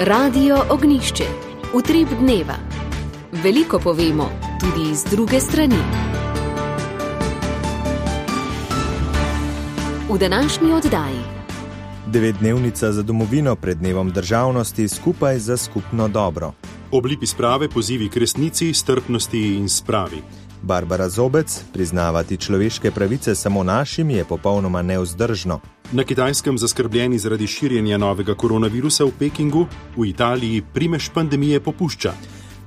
Radio Ognjišče. Utrip dneva. Veliko povemo, tudi iz druge strani. V današnji oddaji. 9-dnevnica za domovino pred dnevom državnosti skupaj za skupno dobro. Oblipi sprave, pozivi k resnici, strpnosti in spravi. Barbara Zobec, priznavati človeške pravice samo našim je popolnoma nevzdržno. Na Kitajskem zaskrbljeni zaradi širjenja novega koronavirusa v Pekingu, v Italiji primež pandemije popušča.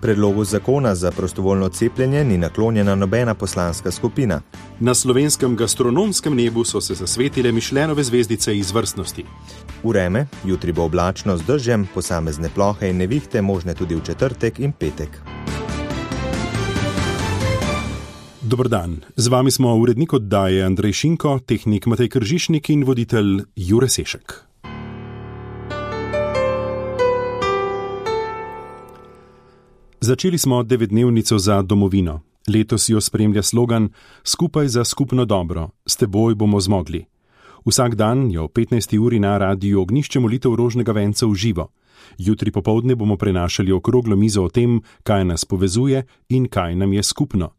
Predlogu zakona za prostovoljno cepljenje ni naklonjena nobena poslanska skupina. Na slovenskem gastronomskem nebu so se zasvetile Mišlenove zvezdice izvrstnosti. Vreme, jutri bo oblačno z dežjem, posamezne plohe in nevihte možne tudi v četrtek in petek. Dober dan, z vami smo urednik oddaje Andrej Šinko, tehnik Matej Kržišnik in voditelj Jure Sešek. Začeli smo 9-dnevnico za domovino. Letos jo spremlja slogan Skupaj za skupno dobro, s teboj bomo zmogli. Vsak dan jo ob 15. uri na Radiu Ognjišče molitev rožnega venca v živo. Jutri popoldne bomo prenašali okroglo mizo o tem, kaj nas povezuje in kaj nam je skupno.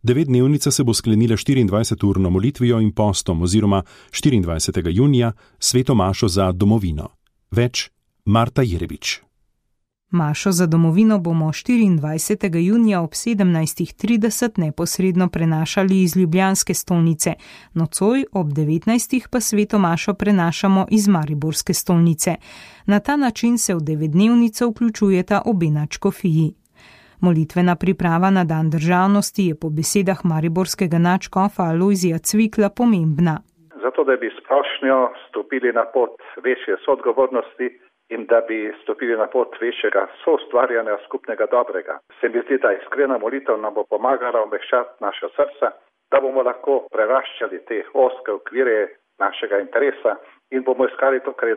9-dnevnica se bo sklenila 24-urno molitvijo in postom oziroma 24. junija sveto mašo za domovino. Več Marta Jerebič. Mašo za domovino bomo 24. junija ob 17.30 neposredno prenašali iz ljubljanske stolnice, nocoj ob 19. pa sveto mašo prenašamo iz mariborske stolnice. Na ta način se v 9-dnevnico vključujeta obe nadškofiji. Molitvena priprava na dan državnosti je po besedah mariborskega nadškofa Alojzija Cvikla pomembna. Zato, da bi splošno stopili na pot večje soodgovornosti in da bi stopili na pot večjega soustvarjanja skupnega dobrega. Se mi zdi, da iskrena molitev nam bo pomagala omehčati naša srca, da bomo lahko preraščali te ozke okvire našega interesa in bomo iskali to, kar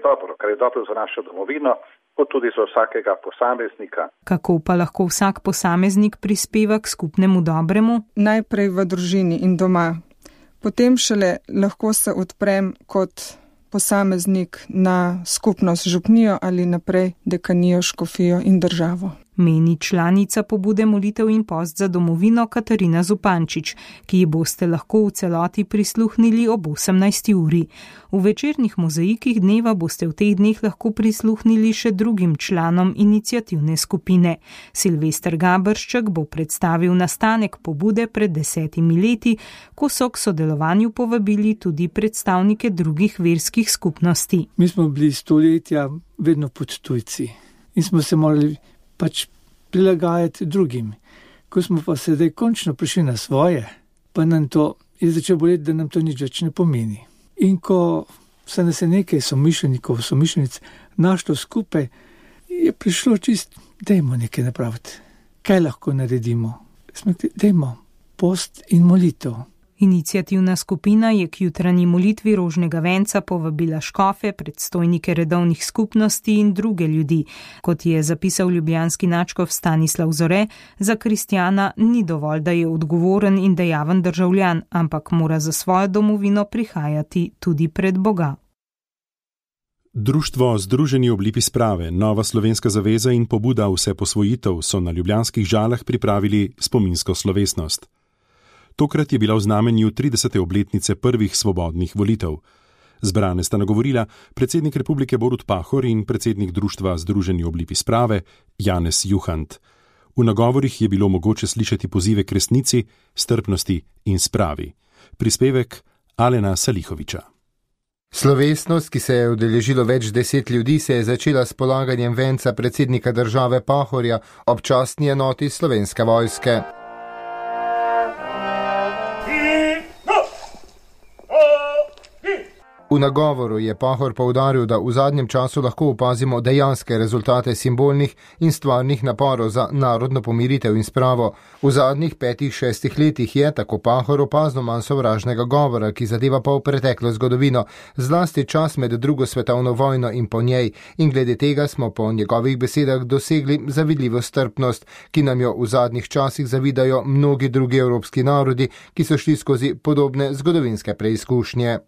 je dobro za našo domovino, kot tudi za vsakega posameznika. Kako pa lahko vsak posameznik prispeva k skupnemu dobremu? Najprej v družini in doma. Potem šele lahko se odprem kot posameznik na skupnost župnijo ali naprej dekanijo, škofijo in državo. Meni članica pobude molitev in post za domovino Katarina Zupančič, ki ji boste lahko v celoti prisluhnili ob 18. uri. V večernih mozaikih dneva boste v teh dneh lahko prisluhnili še drugim članom iniciativne skupine. Silvester Gabršček bo predstavil nastanek pobude pred 10 leti, ko so k sodelovanju povabili tudi predstavnike drugih verskih skupnosti. Mi smo bili stoletja vedno pod tujci in smo se morali prilagajati drugim. Ko smo pa sedaj končno prišli na svoje, pa nam to je začelo boleti, da nam to nič več ne pomeni. In ko se nas je nekaj somišljenic našlo skupaj, je prišlo dajmo nekaj napraviti. Kaj lahko naredimo? Smo rekli, dajmo post in molitev. Iniciativna skupina je k jutranji molitvi rožnega venca povabila škofe, predstojnike redovnih skupnosti in druge ljudi. Kot je zapisal ljubljanski nadškof Stanislav Zore, za kristjana ni dovolj, da je odgovoren in dejaven državljan, ampak mora za svojo domovino prihajati tudi pred Boga. Društvo Združeni oblipi sprave, Nova slovenska zaveza in pobuda Vse posvojitev so na ljubljanskih Žalah pripravili spominsko slovesnost. Tokrat je bila v znamenju 30. obletnice prvih svobodnih volitev. Zbrane sta nagovorila predsednik Republike Borut Pahor in predsednik društva Združeni oblipi sprave Janez Juhant. V nagovorih je bilo mogoče slišati pozive k resnici, strpnosti in spravi. Prispevek Alena Salihoviča. Slovesnost, ki se je udeležilo več 10 ljudi, se je začela s polaganjem venca predsednika države Pahorja ob častni enoti Slovenske vojske. V nagovoru je Pahor poudaril, da v zadnjem času lahko opazimo dejanske rezultate simbolnih in stvarnih naporov za narodno pomiritev in spravo. V zadnjih 5-6 letih je, tako Pahor, opazno manj sovražnega govora, ki zadeva pol preteklo zgodovino, zlasti čas med drugo svetovno vojno in po njej, in glede tega smo po njegovih besedah dosegli zavidljivo strpnost, ki nam jo v zadnjih časih zavidajo mnogi drugi evropski narodi, ki so šli skozi podobne zgodovinske preizkušnje.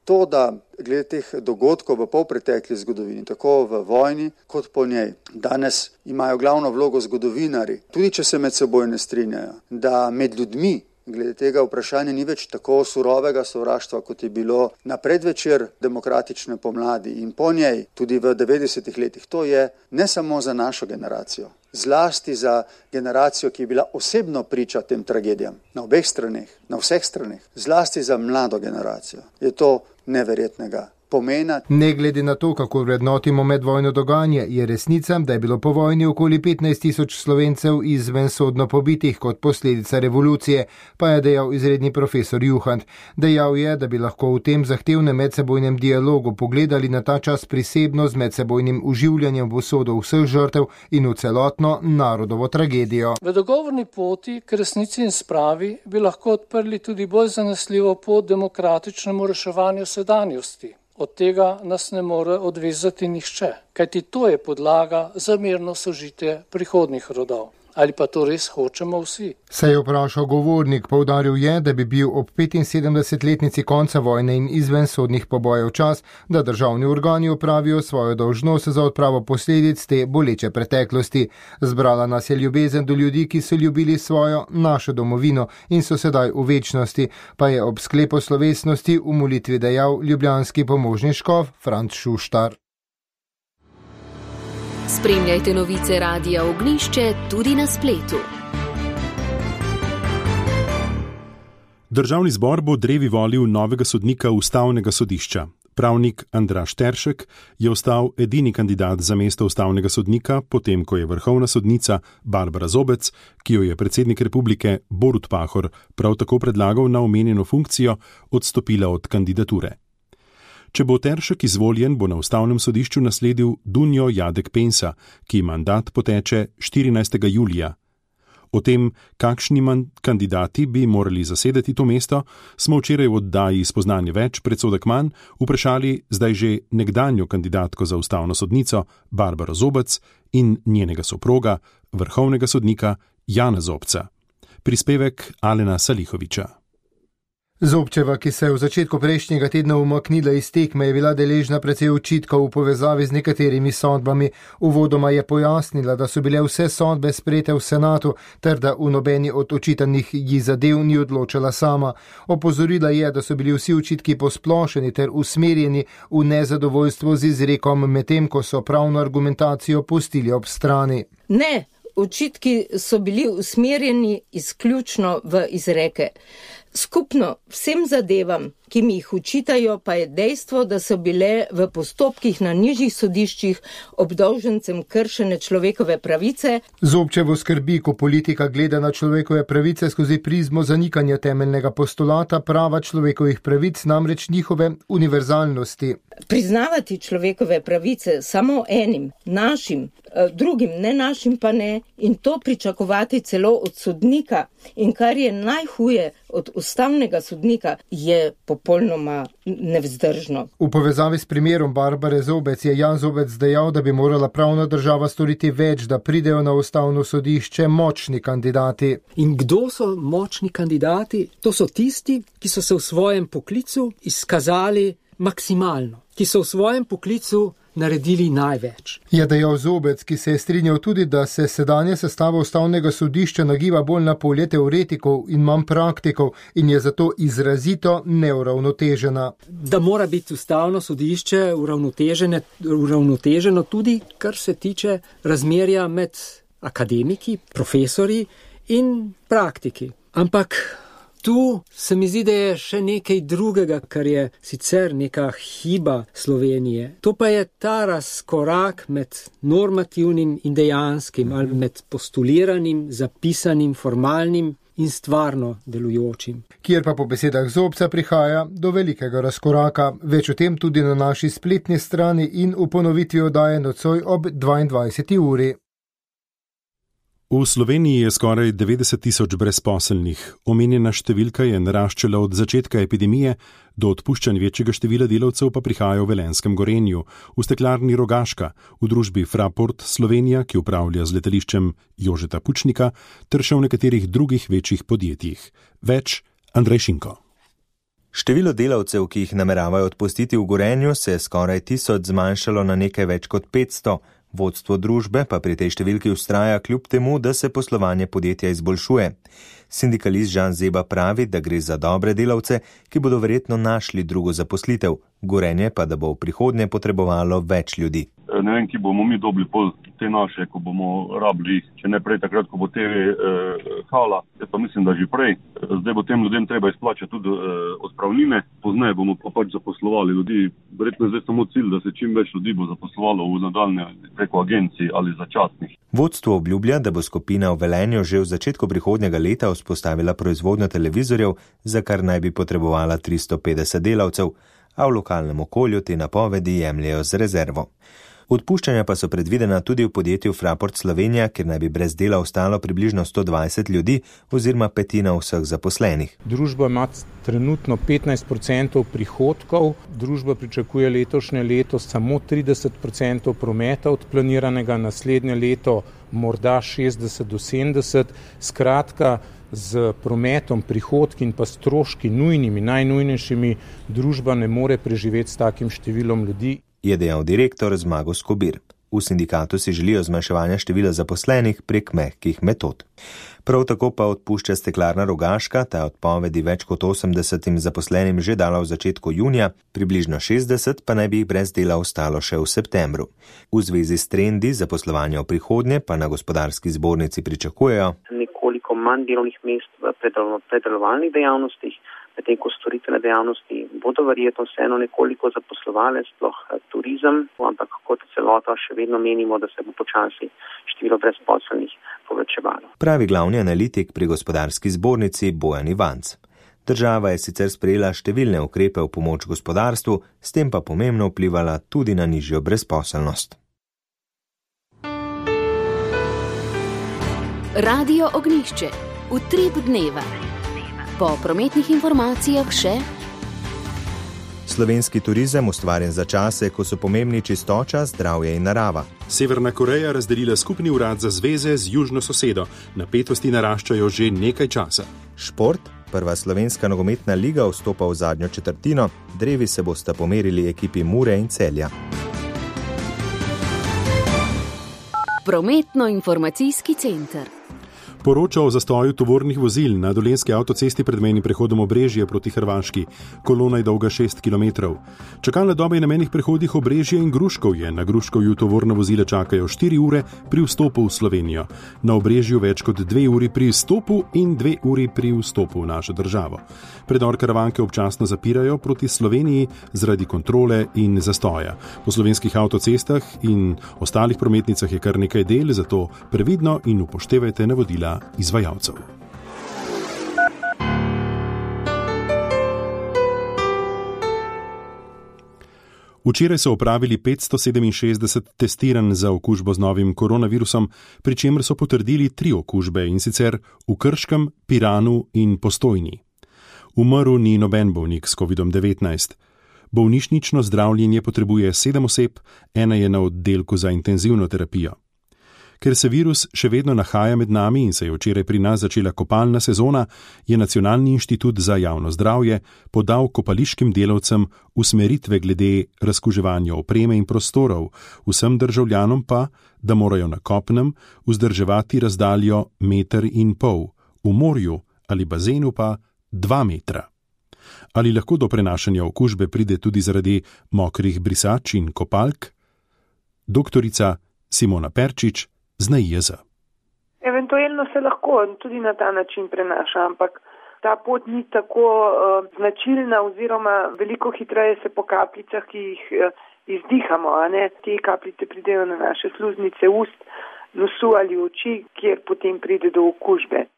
To, da glede teh dogodkov v polpretekli zgodovini, tako v vojni kot po njej, danes imajo glavno vlogo zgodovinari, tudi če se med seboj ne strinjajo, da med ljudmi glede tega vprašanja ni več tako surovega sovraštva, kot je bilo na predvečer demokratične pomladi in po njej, tudi v 90-ih letih. To je ne samo za našo generacijo, zlasti za generacijo, ki je bila osebno priča tem tragedijam, na obeh straneh, na vseh straneh, zlasti za mlado generacijo. Je to neverjetnega pomena. Ne glede na to, kako vrednotimo medvojno dogajanje, je resnica, da je bilo po vojni okoli 15.000 Slovencev izvensodno pobitih kot posledica revolucije, pa je dejal izredni profesor Juhant. Dejal je, da bi lahko v tem zahtevnem medsebojnem dialogu pogledali na ta čas prisebno z medsebojnim uživljanjem v usodo vseh žrtev in v celotno narodovo tragedijo. V dogovorni poti k resnici in spravi bi lahko odprli tudi bolj zanesljivo pot demokratičnemu reševanju sedanjosti. Od tega nas ne more odvezati nihče, kajti to je podlaga za mirno sožitje prihodnjih rodov. Ali pa to res hočemo vsi? Se je vprašal govornik, poudaril je, da bi bil ob 75-letnici konca vojne in izvensodnih pobojev čas, da državni organi opravijo svojo dolžnost za odpravo posledic te boleče preteklosti. Zbrala nas je ljubezen do ljudi, ki so ljubili svojo, našo domovino in so sedaj v večnosti, pa je ob sklepu slovesnosti v molitvi dejal ljubljanski pomožni škof Franc Šuštar. Spremljajte novice Radia Ognjišče tudi na spletu. Državni zbor bo drevi volil novega sodnika Ustavnega sodišča. Pravnik Andraž Teršek je ostal edini kandidat za mesto ustavnega sodnika, potem ko je vrhovna sodnica Barbara Zobec, ki jo je predsednik republike Borut Pahor prav tako predlagal na omenjeno funkcijo, odstopila od kandidature. Če bo Teršek izvoljen, bo na ustavnem sodišču nasledil Dunjo Jadek Pensa, ki mandat poteče 14. julija. O tem, kakšni kandidati bi morali zasedeti to mesto, smo včeraj v oddaji Spoznanje več predsodek manj vprašali zdaj že nekdanjo kandidatko za ustavno sodnico Barbaro Zobec in njenega soproga, vrhovnega sodnika Jana Zobca. Prispevek Alena Salihoviča. Zobčeva, ki se je v začetku prejšnjega tedna umaknila iz tekme, je bila deležna precej očitkov v povezavi z nekaterimi sodbami. Uvodoma je pojasnila, da so bile vse sodbe sprejete v senatu, ter da v nobeni od očitanih ji zadev ni odločala sama. Opozorila je, da so bili vsi očitki posplošeni ter usmerjeni v nezadovoljstvo z izrekom, medtem ko so pravno argumentacijo pustili ob strani. Ne, očitki so bili usmerjeni izključno v izreke. Skupno vsem zadevam, ki mi jih učitajo, pa je dejstvo, da so bile v postopkih na nižjih sodiščih obdolžencem kršene človekove pravice. Zobčevo skrbi, ko politika gleda na človekove pravice skozi prizmo zanikanja temeljnega postulata prava človekovih pravic, namreč njihove univerzalnosti. Priznavati človekove pravice samo enim, našim, drugim ne našim pa ne, in to pričakovati celo od sodnika, in kar je najhuje od ustavnega sodnika, je popolnoma nevzdržno. V povezavi s primerom Barbare Zobec je Jan Zobec dejal, da bi morala pravna država storiti več, da pridejo na ustavno sodišče močni kandidati. In kdo so močni kandidati? To so tisti, ki so se v svojem poklicu izkazali maksimalno, ki so v svojem poklicu naredili največ. Je dejal Zobec, ki se je strinjal tudi, da se sedanja sestava ustavnega sodišča nagiba bolj na polje teoretikov in manj praktikov in je zato izrazito neuravnotežena. Da mora biti ustavno sodišče uravnoteženo tudi, kar se tiče razmerja med akademiki, profesori in praktiki. Ampak tu se mi zdi, da je še nekaj drugega, kar je sicer neka hiba Slovenije. To pa je ta razkorak med normativnim in dejanskim, ali med postuliranim, zapisanim, formalnim in stvarno delujočim. Kjer pa po besedah Zobca prihaja do velikega razkoraka. Več o tem tudi na naši spletni strani in v ponovitvi oddaje nocoj ob 22. uri. V Sloveniji je skoraj 90.000 brezposelnih. Omenjena številka je naraščala od začetka epidemije, do odpuščanj večjega števila delavcev pa prihaja v Velenjskem Gorenju, v steklarni Rogaška, v družbi Fraport Slovenija, ki upravlja z letališčem Jožeta Pučnika, ter še v nekaterih drugih večjih podjetjih. Več Andrej Šinko. Število delavcev, ki jih nameravajo odpustiti v Gorenju, se je skoraj 1000 zmanjšalo na nekaj več kot 500. Vodstvo družbe pa pri tej številki vztraja kljub temu, da se poslovanje podjetja izboljšuje. Sindikalist Žan Zeba pravi, da gre za dobre delavce, ki bodo verjetno našli drugo zaposlitev. Gorenje pa, da bo v prihodnje potrebovalo več ljudi. Ne vem, ki bomo mi dobili pol te naše, ko bomo rabili, če ne prej takrat, ko bo TV hala. Jaz pa mislim, da že prej. Zdaj bo tem ljudem treba izplačati tudi odpravnine. Pozneje bomo pa pač zaposlovali ljudi. Verjetno zdaj samo cilj, da se čim več ljudi bo zaposlovalo v nadaljne preko agencij ali začasnih. Vodstvo obljublja, da bo skupina v Velenju že v začetku prihodnjega leta vzpostavila proizvodnjo televizorjev, za kar naj bi potrebovala 350 delavcev, a v lokalnem okolju te napovedi jemljejo z rezervo. Odpuščanja pa so predvidena tudi v podjetju Fraport Slovenija, kjer naj bi brez dela ostalo približno 120 ljudi oziroma petina vseh zaposlenih. Družba ima trenutno 15% prihodkov, družba pričakuje letošnje leto samo 30% prometa od planiranega, naslednje leto morda 60 do 70, skratka z prometom, prihodki in pa stroški nujnimi, najnujnejšimi družba ne more preživeti s takim številom ljudi. Je dejal direktor Zmago Skobir. V sindikatu si želijo zmanjševanja števila zaposlenih prek mehkih metod. Prav tako pa odpušča Steklarna Rogaška, ta odpovedi več kot 80 zaposlenim že dala v začetku junija, približno 60 pa naj bi jih brez dela ostalo še v septembru. V zvezi s trendi zaposlovanja v prihodnje pa na gospodarski zbornici pričakujejo nekoliko manj delovnih mest v predelovalnih dejavnostih, medtem ko storitvene dejavnosti bodo verjetno vseeno nekoliko zaposlovale, sploh turizem, ampak kot celota še vedno menimo, da se bo počasi število brezposelnih povečevalo. Pravi glavni analitik pri gospodarski zbornici Bojan Ivanc. Država je sicer sprejela številne ukrepe v pomoč gospodarstvu, s tem pa pomembno vplivala tudi na nižjo brezposelnost. Radio Ognjišče. Utrip dneva. Po prometnih informacijah še slovenski turizem ustvarjen za čase, ko so pomembni čistoča, zdravje in narava. Severna Koreja razdelila skupni urad za zveze z južno sosedo. Napetosti naraščajo že nekaj časa. Šport. Prva slovenska nogometna liga vstopa v zadnjo četrtino. Drevi se bosta pomerili ekipi Mure in Celja. Prometno-informacijski center. Poroča o zastoju tovornih vozil na dolenjski avtocesti pred mejnim prehodom Obrežje proti Hrvaški. Kolona je dolga 6 km. Čakalna doba je na mejnih prehodih Obrežje in Gruškovje. Na Gruškovju tovorna vozila čakajo 4 ure pri vstopu v Slovenijo. Na Obrežju več kot 2 uri pri vstopu in 2 uri pri vstopu v našo državo. Predor Karavanke občasno zapirajo proti Sloveniji zaradi kontrole in zastoja. Po slovenskih avtocestah in ostalih prometnicah je kar nekaj del, zato previdno in upoštevajte navodila izvajalcev. Včeraj so opravili 567 testiranj za okužbo z novim koronavirusom, pri čemer so potrdili 3 okužbe, in sicer v Krškem, Piranu in Postojni. Umrl ni noben bolnik s COVID-19. Bolnišnično zdravljenje potrebuje 7 oseb, ena je na oddelku za intenzivno terapijo. Ker se virus še vedno nahaja med nami in se je včeraj pri nas začela kopalna sezona, je Nacionalni inštitut za javno zdravje podal kopališkim delavcem usmeritve glede razkuževanja opreme in prostorov, vsem državljanom pa, da morajo na kopnem vzdrževati razdaljo 1,5 metra, v morju ali bazenu pa 2 metra. Ali lahko do prenašanja okužbe pride tudi zaradi mokrih brisač in kopalk? Doktorica Simona Perčič z NIJZ. Eventualno se lahko tudi na ta način prenaša, ampak ta pot ni tako značilna oziroma veliko hitreje se po kapljicah, ki jih izdihamo, a ne? Te kapljice pridejo na naše sluznice ust, nosu ali oči, kjer potem pride do okužbe.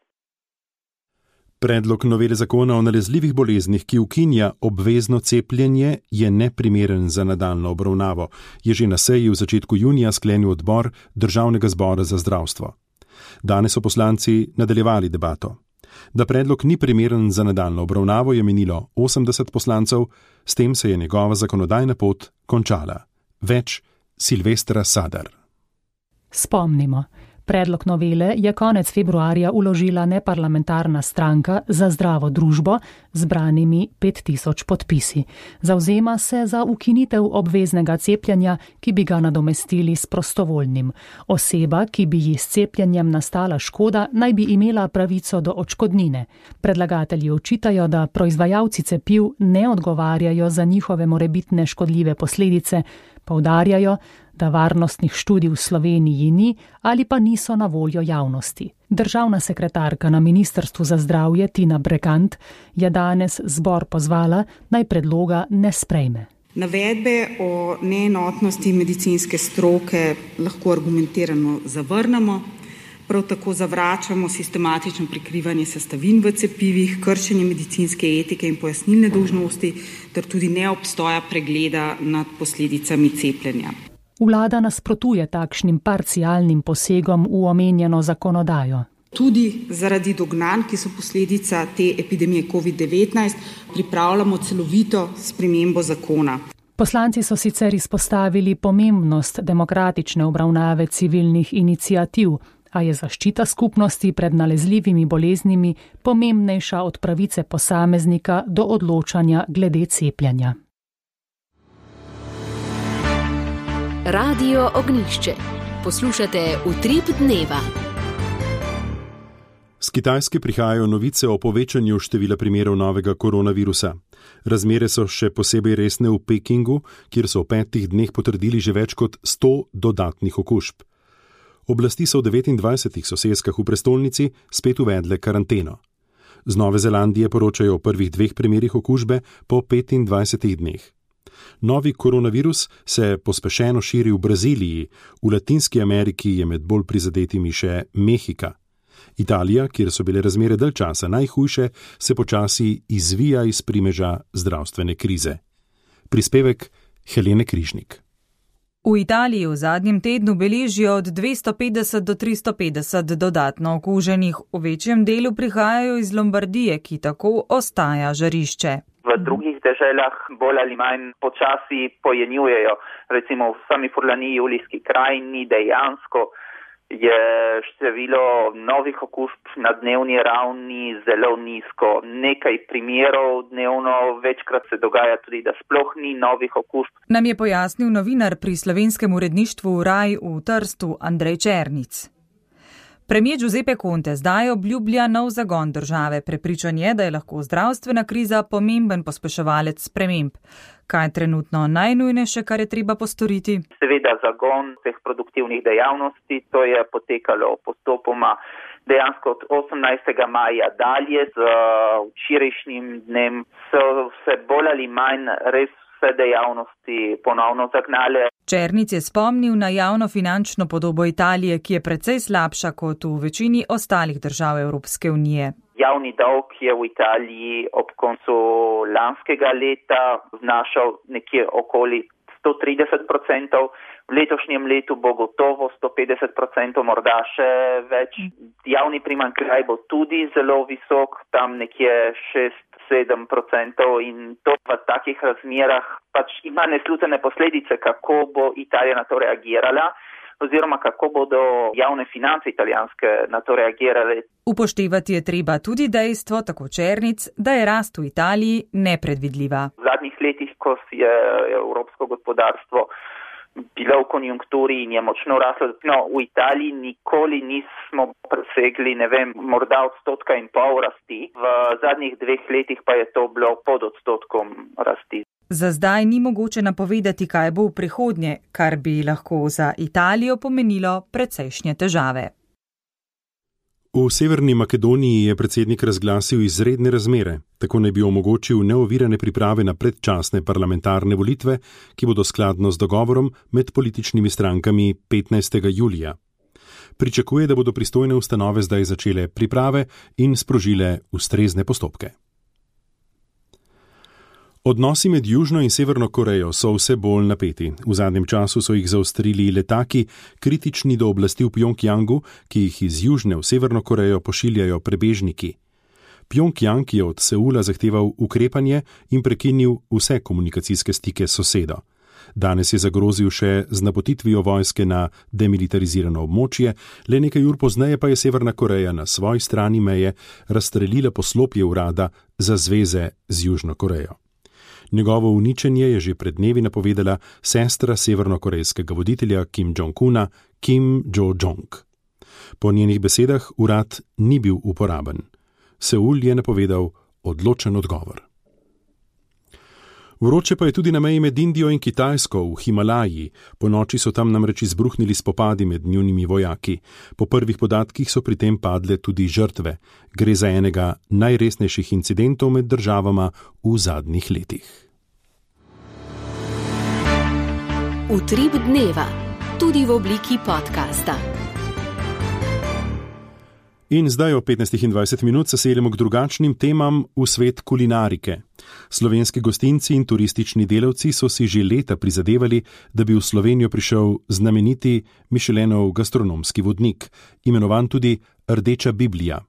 Predlog novele zakona o nalezljivih boleznih, ki ukinja obvezno cepljenje, je neprimeren za nadaljnjo obravnavo, je že na seji v začetku junija sklenil odbor Državnega zbora za zdravstvo. Danes so poslanci nadaljevali debato. Da predlog ni primeren za nadaljnjo obravnavo, je menilo 80 poslancev, s tem se je njegova zakonodajna pot končala. Več Silvestra Sadar. Spomnimo. Predlog novele je konec februarja vložila neparlamentarna stranka Za zdravo družbo z zbranimi 5000 podpisi. Zavzema se za ukinitev obveznega cepljenja, ki bi ga nadomestili s prostovoljnim. Oseba, ki bi ji s cepljenjem nastala škoda, naj bi imela pravico do odškodnine. Predlagatelji očitajo, da proizvajalci cepiv ne odgovarjajo za njihove morebitne škodljive posledice, poudarjajo, da varnostnih študij v Sloveniji ni ali pa niso na voljo javnosti. Državna sekretarka na Ministrstvu za zdravje Tina Bregant je danes zbor pozvala, naj predloga ne sprejme. Navedbe o neenotnosti medicinske stroke lahko argumentirano zavrnemo, prav tako zavračamo sistematično prikrivanje sestavin v cepivih, kršenje medicinske etike in pojasnilne dolžnosti ter tudi neobstoja pregleda nad posledicami cepljenja. Vlada nasprotuje takšnim parcialnim posegom v omenjeno zakonodajo. Tudi zaradi dognanj, ki so posledica te epidemije COVID-19, pripravljamo celovito spremembo zakona. Poslanci so sicer izpostavili pomembnost demokratične obravnave civilnih iniciativ, a je zaščita skupnosti pred nalezljivimi boleznimi pomembnejša od pravice posameznika do odločanja glede cepljenja. Radio Ognjišče. Poslušate Utrip dneva. Z Kitajske prihajajo novice o povečanju števila primerov novega koronavirusa. Razmere so še posebej resne v Pekingu, kjer so v 5 dneh potrdili že več kot 100 dodatnih okužb. Oblasti so v 29 sosedskah v prestolnici spet uvedle karanteno. Z Nove Zelandije poročajo o prvih 2 primerih okužbe po 25 dneh. Novi koronavirus se pospešeno širi v Braziliji, v Latinski Ameriki je med bolj prizadetimi še Mehika. Italija, kjer so bile razmere dalj časa najhujše, se počasi izvija iz primeža zdravstvene krize. Prispevek Helene Križnik. V Italiji v zadnjem tednu beležijo od 250 do 350 dodatno okuženih. V večjem delu prihajajo iz Lombardije, ki tako ostaja žarišče. V drugih deželah bolj ali manj počasi pojenjujejo. Recimo v sami Furlaniji, Julijski krajini dejansko je število novih okužb na dnevni ravni zelo nizko. Nekaj primerov dnevno, večkrat se dogaja tudi, da sploh ni novih okužb. Nam je pojasnil novinar pri slovenskem uredništvu Raj v Trstu Andrej Černic. Premijer Giuseppe Conte zdaj obljublja nov zagon države. Prepričan je, da je lahko zdravstvena kriza pomemben pospeševalec sprememb. Kaj je trenutno najnujnejše, kar je treba postoriti? Seveda zagon teh produktivnih dejavnosti, to je potekalo postopoma dejansko od 18. maja dalje z včerajšnjim dnem. So se bolj ali manj res vse dejavnosti ponovno zagnale. Černic je spomnil na javno finančno podobo Italije, ki je precej slabša kot v večini ostalih držav Evropske unije. Javni dolg je v Italiji ob koncu lanskega leta znašal nekje okoli 130%, v letošnjem letu bo gotovo 150%, morda še več. Javni primanjkljaj bo tudi zelo visok, tam nekje 6-7% in to v takih razmerah pač ima neslutene posledice, kako bo Italija na to reagirala oziroma kako bodo javne finance italijanske na to reagirale. Upoštevati je treba tudi dejstvo, tako Černic, da je rast v Italiji nepredvidljiva. V zadnjih letih, ko je evropsko gospodarstvo bilo v konjunkturi in je močno raslo, v Italiji nikoli nismo presegli, morda 1,5% rasti. V zadnjih 2 letih pa je to bilo pod 1% rasti. Za zdaj ni mogoče napovedati, kaj bo v prihodnje, kar bi lahko za Italijo pomenilo precejšnje težave. V Severni Makedoniji je predsednik razglasil izredne razmere, tako naj bi omogočil neovirane priprave na predčasne parlamentarne volitve, ki bodo skladno z dogovorom med političnimi strankami 15. julija. Pričakuje, da bodo pristojne ustanove zdaj začele priprave in sprožile ustrezne postopke. Odnosi med Južno in Severno Korejo so vse bolj napeti. V zadnjem času so jih zaostrili letaki, kritični do oblasti v Pjongjangu, ki jih iz Južne v Severno Korejo pošiljajo prebežniki. Pjongjang je od Seula zahteval ukrepanje in prekinil vse komunikacijske stike s sosedo. Danes je zagrozil še z napotitvijo vojske na demilitarizirano območje, le nekaj ur pozneje pa je Severna Koreja na svoji strani meje razstrelila poslopje urada za zveze z Južno Korejo. Njegovo uničenje je že pred dnevi napovedala sestra severnokorejskega voditelja Kim Jong-una, Kim Jo-jong. Po njenih besedah urad ni bil uporaben. Seul je napovedal odločen odgovor. Vroče pa je tudi na meji med Indijo in Kitajsko v Himalaji. Po noči so tam namreč izbruhnili spopadi med njunimi vojaki. Po prvih podatkih so pri tem padle tudi žrtve. Gre za enega najresnejših incidentov med državama v zadnjih letih. Utrip dneva, tudi v obliki podcasta. In zdaj o 15:20 se seljemo k drugačnim temam v svet kulinarike. Slovenski gostinci in turistični delavci so si že leta prizadevali, da bi v Slovenijo prišel znameniti Michelinov gastronomski vodnik, imenovan tudi Rdeča Biblija.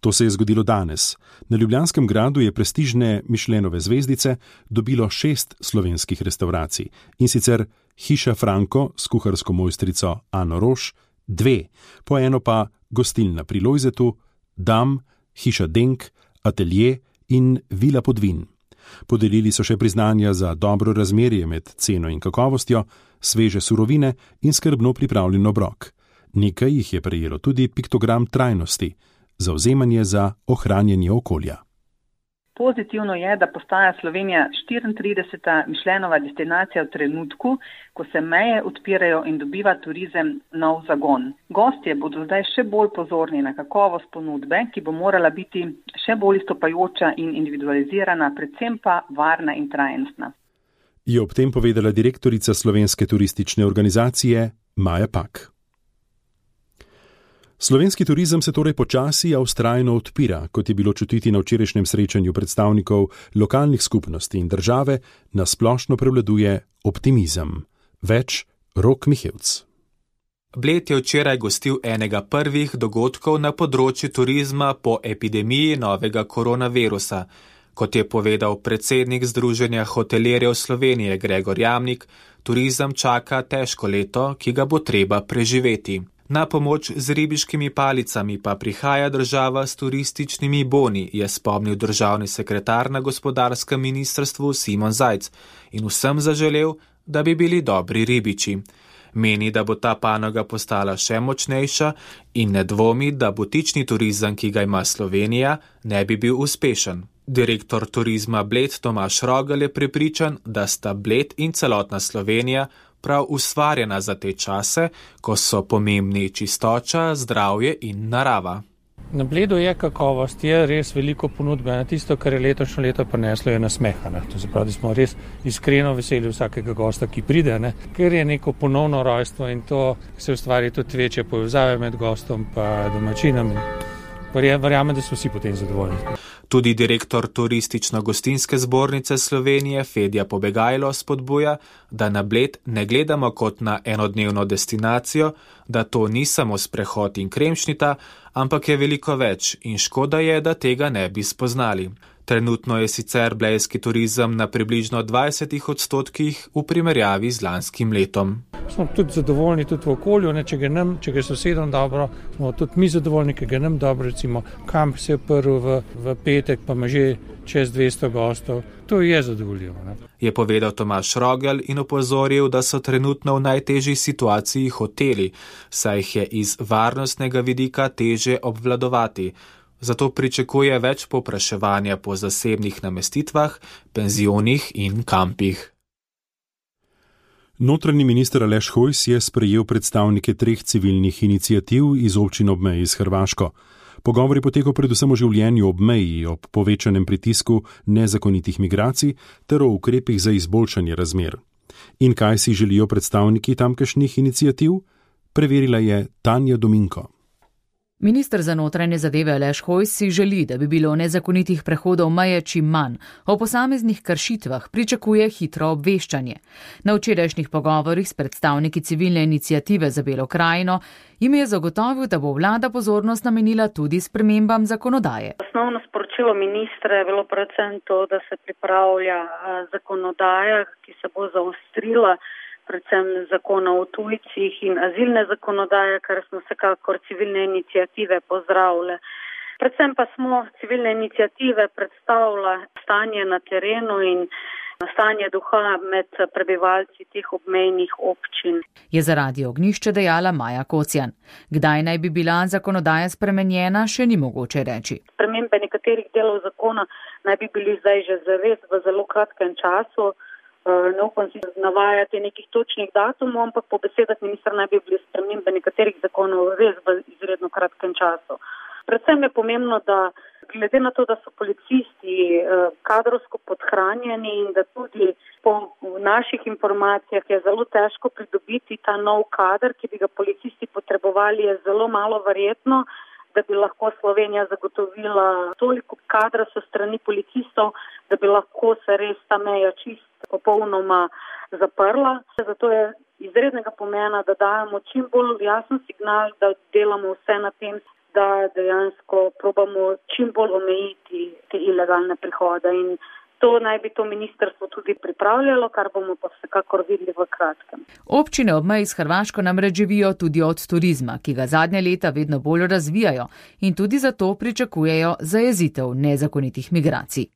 To se je zgodilo danes. Na Ljubljanskem gradu je prestižne Michelinove zvezdice dobilo 6 slovenskih restavracij, in sicer Hiša Franko s kuharsko mojstrico Ano Roš, 2, po eno pa Gostilna pri Lojzetu, Dam, Hiša Denk, Atelje in Vila Podvin. Podelili so še priznanja za dobro razmerje med ceno in kakovostjo, sveže surovine in skrbno pripravljen obrok. Nekaj jih je prejelo tudi piktogram trajnosti, zavzemanje za ohranjanje okolja. Pozitivno je, da postaja Slovenija 34. Michelinova destinacija v trenutku, ko se meje odpirajo in dobiva turizem nov zagon. Gostje bodo zdaj še bolj pozorni na kakovost ponudbe, ki bo morala biti še bolj izstopajoča in individualizirana, predvsem pa varna in trajnostna. Je ob tem povedala direktorica Slovenske turistične organizacije Maja Pak. Slovenski turizem se torej počasi, a vztrajno odpira, kot je bilo čutiti na včerajšnjem srečanju predstavnikov lokalnih skupnosti in države, na splošno prevladuje optimizem. Več Rok Mihevc. Bled je včeraj gostil enega prvih dogodkov na področju turizma po epidemiji novega koronavirusa. Kot je povedal predsednik Združenja hotelirjev Slovenije Gregor Jamnik, turizem čaka težko leto, ki ga bo treba preživeti. Na pomoč z ribiškimi palicami pa prihaja država s turističnimi boni, je spomnil državni sekretar na gospodarskem ministrstvu Simon Zajc in vsem zaželel, da bi bili dobri ribiči. Meni, da bo ta panoga postala še močnejša in ne dvomi, da butični turizem, ki ga ima Slovenija, ne bi bil uspešen. Direktor turizma Bled Tomaž Rogelj je prepričan, da sta Bled in celotna Slovenija prav ustvarjena za te čase, ko so pomembni čistoča, zdravje in narava. Na Bledu je kakovost, je res veliko ponudbe, na tisto, kar je letošnje leto prineslo, je nasmehana. To se pravi, da smo res iskreno veseli vsakega gosta, ki pride, ker je neko ponovno rojstvo in to se ustvari tudi večje povezave med gostom pa domačinom. Verjamem, da so vsi potem zadovoljni. Tudi direktor Turistično-gostinske zbornice Slovenije Fedja Pobegajlo spodbuja, da na Bled ne gledamo kot na enodnevno destinacijo, da to ni samo sprehod in kremšnita, ampak je veliko več in škoda je, da tega ne bi spoznali. Trenutno je sicer blejski turizem na približno 20% v primerjavi z lanskim letom. Smo tudi zadovoljni tudi v okolju, če gre sosedom dobro, smo tudi mi zadovoljni, ker gre nam dobro, recimo kamp se je prv v petek, pa ima že čez 200 gostov. To je zadovoljivo. Je povedal Tomaž Rogelj in opozoril, da so trenutno v najtežji situaciji hoteli, saj jih je iz varnostnega vidika teže obvladovati. Zato pričakuje več povpraševanja po zasebnih namestitvah, penzionih in kampih. Notranji minister Aleš Hojs je sprejel predstavnike 3 civilnih iniciativ iz občin ob meji s Hrvaško. Pogovor je potekal predvsem o življenju ob meji, ob povečanem pritisku nezakonitih migracij ter o ukrepih za izboljšanje razmer. In kaj si želijo predstavniki tamkajšnjih iniciativ? Preverila je Tanja Dominko. Minister za notranje zadeve Aleš Hojs si želi, da bi bilo nezakonitih prehodov meje čim manj. O posameznih kršitvah pričakuje hitro obveščanje. Na včerajšnjih pogovorih s predstavniki civilne iniciative za Belo krajino jim je zagotovil, da bo vlada pozornost namenila tudi spremembam zakonodaje. Osnovno sporočilo ministra je bilo predvsem to, da se pripravlja zakonodaja, ki se bo zaostrila, predvsem zakona o tujcih in azilne zakonodaje, kar smo vsekakor civilne iniciative pozdravile. Predvsem pa smo civilne iniciative predstavila stanje na terenu in stanje duha med prebivalci teh obmejnih občin. Je za Radio Ognjišče dejala Maja Kocjan. Kdaj naj bi bila zakonodaja spremenjena, še ni mogoče reči. Spremembe nekaterih delov zakona naj bi bili zdaj že zares v zelo kratkem času. Ne upam si navajati nekih točnih datumov, ampak po besedah ministra naj bi bili spremembe nekaterih zakonov res v izredno kratkem času. Predvsem je pomembno, da glede na to, da so policisti kadrovsko podhranjeni in da tudi po naših informacijah je zelo težko pridobiti ta nov kader, ki bi ga policisti potrebovali, je zelo malo verjetno, da bi lahko Slovenija zagotovila toliko kadra so strani policistov, da bi lahko se res ta meja čist popolnoma zaprla. Zato je izrednega pomena, da dajemo čim bolj jasen signal, da delamo vse na tem, da dejansko probamo čim bolj omejiti te ilegalne prihode. In to naj bi to ministrstvo tudi pripravljalo, kar bomo pa vsekakor videli v kratkem. Občine ob meji s Hrvaško namreč živijo tudi od turizma, ki ga zadnje leta vedno bolj razvijajo in tudi zato pričakujejo zajezitev nezakonitih migracij.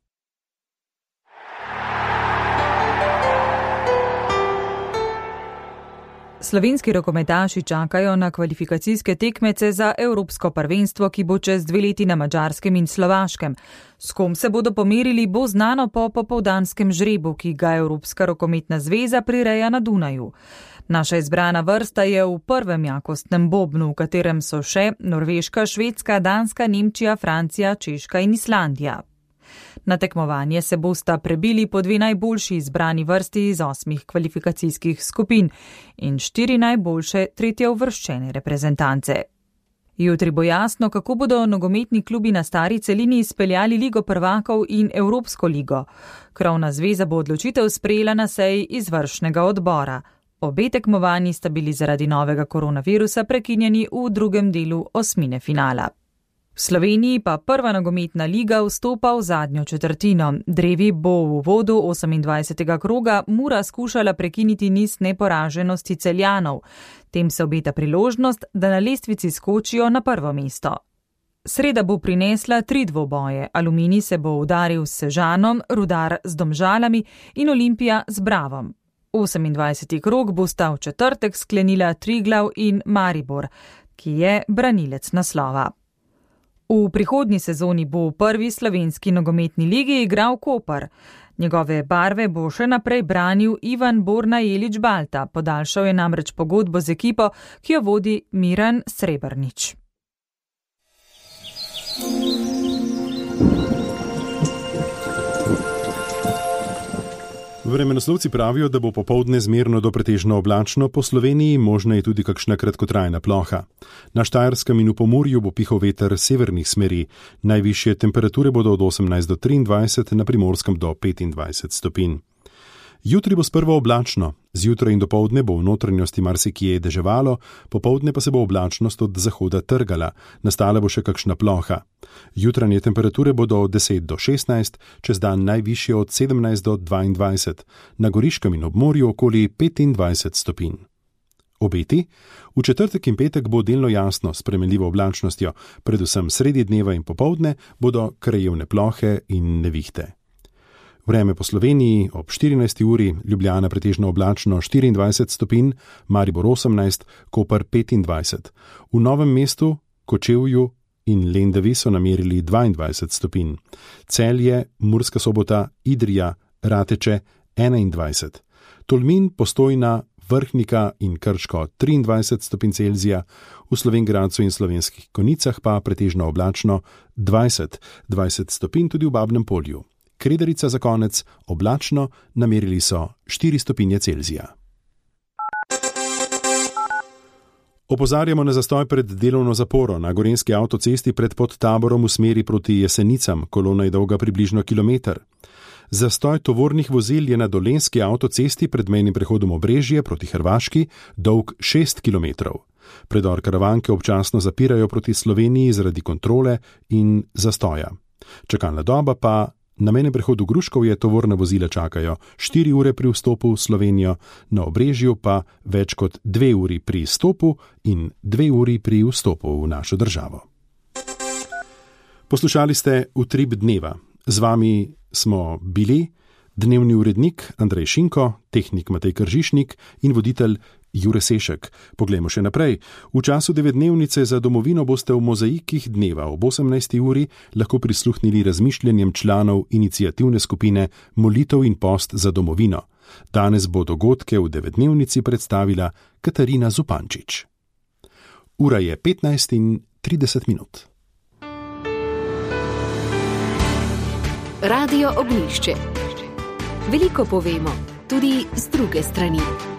Slovenski rokometaši čakajo na kvalifikacijske tekmece za Evropsko prvenstvo, ki bo čez 2 leti na Madžarskem in Slovaškem. S kom se bodo pomerili, bo znano po popoldanskem žrebu, ki ga Evropska rokometna zveza prireja na Dunaju. Naša izbrana vrsta je v prvem jakostnem bobnu, v katerem so še Norveška, Švedska, Danska, Nemčija, Francija, Češka in Islandija. Na tekmovanje se bosta prebili po 2 najboljši izbrani vrsti iz 8 kvalifikacijskih skupin in 4 najboljše tretjeuvrščene reprezentance. Jutri bo jasno, kako bodo nogometni klubi na stari celini izpeljali Ligo prvakov in Evropsko ligo. Krovna zveza bo odločitev sprejela na seji izvršnega odbora. Obe tekmovanji sta bili zaradi novega koronavirusa prekinjeni v drugem delu osmine finala. V Sloveniji pa prva nogometna liga vstopa v zadnjo četrtino. Drevi bo v uvodu 28. kroga Mura skušala prekiniti niz neporaženosti Celjanov. Tem se obeta priložnost, da na lestvici skočijo na prvo mesto. Sreda bo prinesla 3 dvoboje. Aluminij se bo udaril s Sežanom, Rudar z Domžalami in Olimpija z Bravom. 28. krog bosta v četrtek sklenila Triglav in Maribor, ki je branilec naslova. V prihodnji sezoni bo v prvi slovenski nogometni ligi igral Koper. Njegove barve bo še naprej branil Ivan Borna Jelič Balta, podaljšal je namreč pogodbo z ekipo, ki jo vodi Miran Srebrnič. Vremenoslovci pravijo, da bo popoldne zmerno do pretežno oblačno, po Sloveniji možna je tudi kakšna kratkotrajna ploha. Na Štajerskem in v Pomurju bo pihal veter severnih smeri, najvišje temperature bodo od 18 do 23, na Primorskem do 25 stopinj. Jutri bo sprva oblačno, zjutraj in dopoldne bo v notranjosti marsikje deževalo, popoldne pa se bo oblačnost od zahoda trgala, nastala bo še kakšna ploha. Jutranje temperature bodo od 10 do 16, čez dan najvišje od 17 do 22, na Goriškem in ob morju okoli 25 stopinj. Obeti? V četrtek in petek bo delno jasno s spremenljivo oblačnostjo, predvsem sredi dneva in popoldne bodo krajevne plohe in nevihte. Vreme po Sloveniji ob 14. uri, Ljubljana pretežno oblačno 24 stopinj, Maribor 18, Koper 25. V Novem mestu, Kočevju in Lendavi so namerili 22 stopinj. Celje, Murska Sobota, Idrija, Rateče 21. Tolmin, Postojna, Vrhnika in Krško 23 stopinj Celzija, v Slovenj Gradcu in Slovenskih Konjicah pa pretežno oblačno 20 stopinj tudi v Babnem Polju. Kredarica za konec, oblačno, namerili so 4 stopinje Celzija. Opozarjamo na zastoj pred delovno zaporo na gorenjski avtocesti pred Podtaborom v smeri proti Jesenicam, kolona je dolga približno kilometer. Zastoj tovornih vozil je na dolenjski avtocesti pred mejnim prehodom Obrežje proti Hrvaški dolg 6 km. Predor Karavanke občasno zapirajo proti Sloveniji zaradi kontrole in zastoja. Čakalna doba pa na mejnem prehodu Gruškovje tovorna vozila čakajo 4 ure pri vstopu v Slovenijo, na Obrežju pa več kot 2 uri pri izstopu in 2 uri pri vstopu v našo državo. Poslušali ste Utrip dneva. Z vami smo bili dnevni urednik Andrej Šinko, tehnik Matej Kržišnik in voditelj Jure Sešek. Poglejmo še naprej. V času 9-dnevnice za domovino boste v mozaikih dneva ob 18. uri lahko prisluhnili razmišljanjem članov iniciativne skupine Molitev in post za domovino. Danes bo dogodke v 9-dnevnici predstavila Katarina Zupančič. Ura je 15:30. Radio Ognjišče. Veliko povemo, tudi z druge strani.